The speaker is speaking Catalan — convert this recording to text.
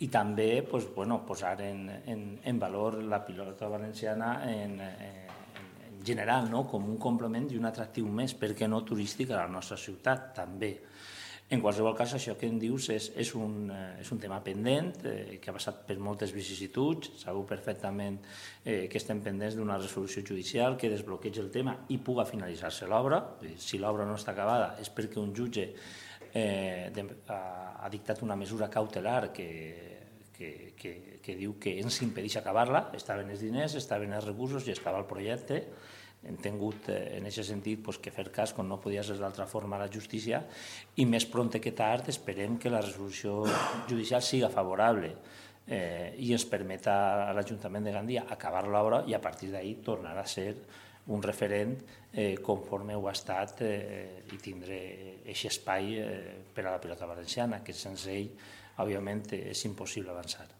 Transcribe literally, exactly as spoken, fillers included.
i també pues, bueno, posar en, en, en valor la pilota valenciana en, en, en general, no? Com un complement i un atractiu més, per què no turístic, a la nostra ciutat també. En qualsevol cas, això que em dius és, és, un, és un tema pendent, eh, que ha passat per moltes vicissituds, sabeu perfectament eh, que estem pendents d'una resolució judicial que desbloqueja el tema i puga finalitzar-se l'obra. Si l'obra no està acabada és perquè un jutge eh, de, ha, ha dictat una mesura cautelar que, que, que, que diu que ens impedeix acabar-la, estaven els diners, estaven els recursos i estava el projecte. Hem tingut en aquest sentit que fer cas, com no podia ser d'altra forma, a la justícia, i més prompte que tard esperem que la resolució judicial siga favorable eh, i ens permeta a l'Ajuntament de Gandia acabar l'obra i a partir d'ahir tornar a ser un referent eh, conforme ho ha estat eh, i tindre aquest espai eh, per a la pilota valenciana, que sense ell, òbviament, és impossible avançar.